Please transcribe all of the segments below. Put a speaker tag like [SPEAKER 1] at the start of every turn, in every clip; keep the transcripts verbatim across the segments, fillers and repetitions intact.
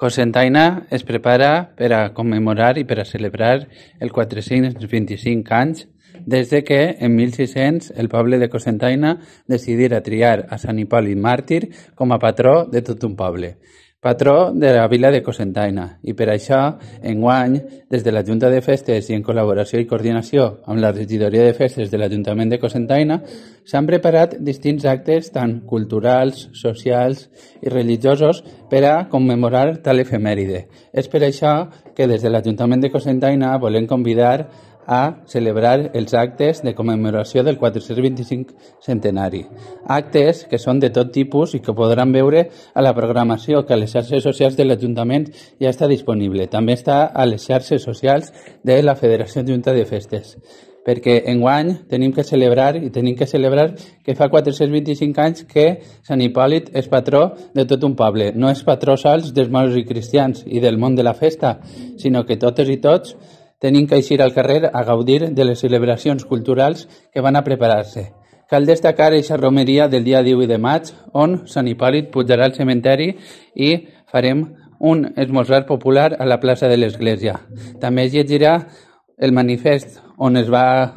[SPEAKER 1] Cocentaina es prepara per a commemorar i per a celebrar el quatre-cents vint-i-cinc anys des de que, en mil sis-cents, el poble de Cocentaina decidira triar a Sant Hipòlit Màrtir com a patró de tot un poble, patró de la vila de Cocentaina, i per això, enguany, des de la Junta de Festes i en col·laboració i coordinació amb la regidoria de festes de l'Ajuntament de Cocentaina, s'han preparat distints actes tant culturals, socials i religiosos per a commemorar tal efemèride. És per això que des de l'Ajuntament de Cocentaina volem convidar a celebrar els actes de commemoració del quatre-cents vint-i-cinc centenari. Actes que són de tot tipus i que podran veure a la programació que a les xarxes socials de l'Ajuntament ja està disponible. També està a les xarxes socials de la Federació Junta de Festes. Perquè enguany tenim que celebrar i tenim que celebrar que fa quatre-cents vint-i-cinc anys que Sant Hipòlit és patró de tot un poble. No és patró sols dels moros i cristians i del món de la festa, sinó que totes i tots tenim que eixir al carrer a gaudir de les celebracions culturals que van a preparar-se. Cal destacar aquesta romeria del dia divuit de maig, on Sant Hipòlit pujarà al cementeri i farem un esmorzar popular a la plaça de l'Església. També es llegirà el manifest on es va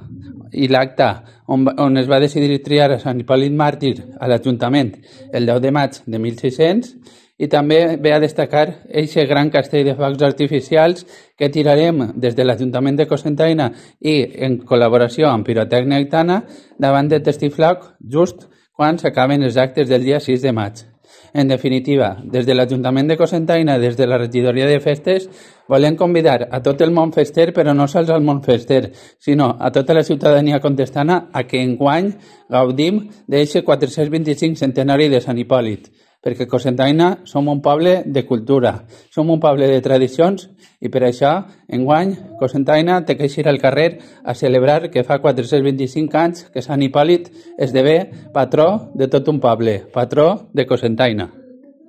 [SPEAKER 1] i l'acte on, on es va decidir triar a Sant Hipòlit Màrtir a l'Ajuntament el deu de maig de mil sis-cents, i també ve a destacar aquest gran castell de focs artificials que tirarem des de l'Ajuntament de Cocentaina i en col·laboració amb Pirotècnia Aitana davant de Testifloc just quan s'acaben els actes del dia sis de maig. En definitiva, des de l'Ajuntament de Cocentaina, des de la regidoria de festes, volem convidar a tot el món fester, però no sols al món fester, sinó a tota la ciutadania contestana a que enguany gaudim d'aquest quatre-cents vint-i-cinc centenari de Sant Hipòlit, perquè Cocentaina som un poble de cultura, som un poble de tradicions i per això, enguany, Cocentaina té que eixir al carrer a celebrar que fa quatre-cents vint-i-cinc anys que Sant Hipòlit esdevé patró de tot un poble, patró de Cocentaina.